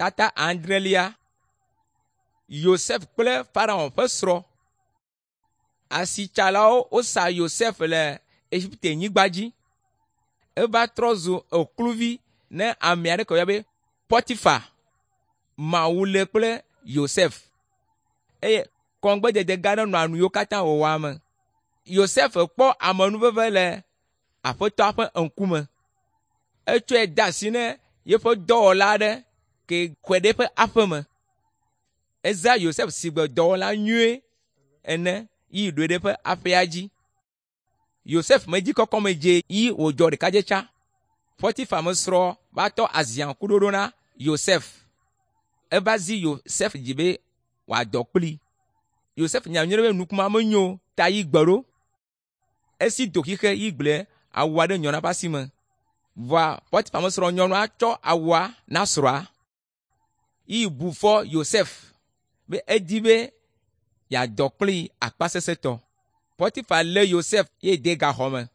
Tata adrelia. Yosef kple Farao ƒe srɔ̃. Asitsalawo wosa Yosef le Egiptenyigba dzi. Eva trɔ zu ekluvi ne ame aɖe ke woyɔna be Potifa. Mawu le kple Yosef eye kɔŋgbedede gã aɖe nɔa nu yiwo katã wòwɔa me. Yosef kpɔ amenuveve le Aƒetɔa ƒe ŋkume. Etsɔe de asi ne yeƒe dɔwɔla aɖe ke xɔe ɖe eƒe aƒe me. Ezã Yosef si gbe dɔwɔla nyui ene yi ɖoe ɖe eƒe aƒea dzi. Yosef medzi kɔkɔme dze yi wòdzɔ ɖekadze tsã. Potifa mesrɔ̃ va tɔ aziaŋkuɖoɖo na Yosef. Eva zi Yosef dzi be wòadɔ kplii. Yosef nya nyuie be nukuma menyo o ta yi gbe ɖo. Esi do xixe yi gblẽ awua ɖe nyɔnua ƒe asi me. Vɔa Potifa mesrɔ̃ nyɔnua tsɔ awua na srɔ̃a. Yi bu fɔ Yosef be edi be yeadɔ kplii akpasesẽtɔ. Potifa lé Yosef ye de gaxɔ me.